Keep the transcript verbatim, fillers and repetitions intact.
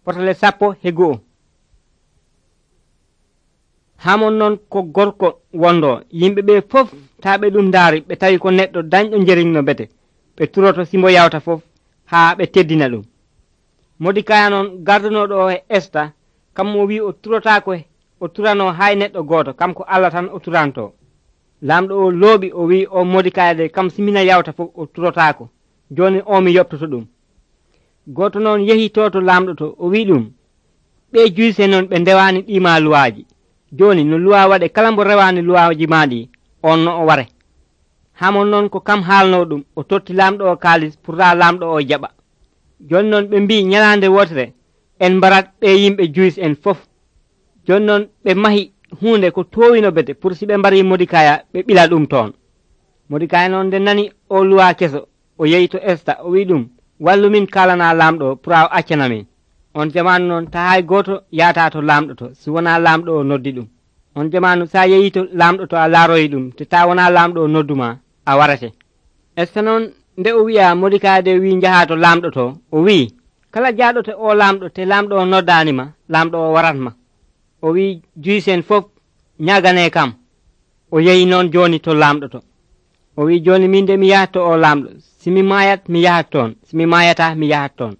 fotale sappo he go'o. Hamon noon ko gorko wondo yimɓe ɓe fof taa ɓe ɗum ndaari ɓe tawi ko neɗɗo dañɗo njeriñno bete ɓe turoto simbo yawta fof haa ɓe teddina ɗum. Modikaya noon gardunoɗo o e Esta kam mo wi o turotako o turano hay neɗɗo gooto kam ko Allah tan o turanto. Lamɗo o looɓi o wi o Modikaya de kam simina yawta fof o turotako joni o mi yoptoto ɗum. Goto noon yehi to to lamɗo to o wi ɗum ɓe juyse noon ɓe ndewani ɗima luwaji joni no luwa waɗe kala mbo rewani luwaji maɗi on no o ware. Hamon noon ko kam haalno ɗum o totti lamɗo o kaalis pour ta lamɗo o jaɓa. Joni noon ɓe mbi ñalande wotere en mbarat ɓe yimɓe juyis en fof. Joni noon ɓe mahi hunde ko towino bete pour si ɓe mbari Modikaya ɓe ɓila ɗum toon. Modikaya noon nde nani o luwa keso o yehi to Esta o wi ɗum wallu min kalana lamɗo pour a accana min. On jamanu noon ta hay goto yata to lamɗo to si wona lamɗo o noddi ɗum. On jamanu sa yehi to lamɗo to a laaroyi ɗum te ta wona lamɗo o nodduma a warate. Esta noon nde o wi'a Modikaya de wi jaha to lamɗo to o wi kala jaaɗo te o lamɗo te lamɗo o noddanima lamɗo o waratma. O wi juyisen fof ñagane kam. O yehi noon joni to lamɗo to o wi joni min de mi yahat to o lamɗo simi mayat mi yahat toon simi mayata mi yahat toon.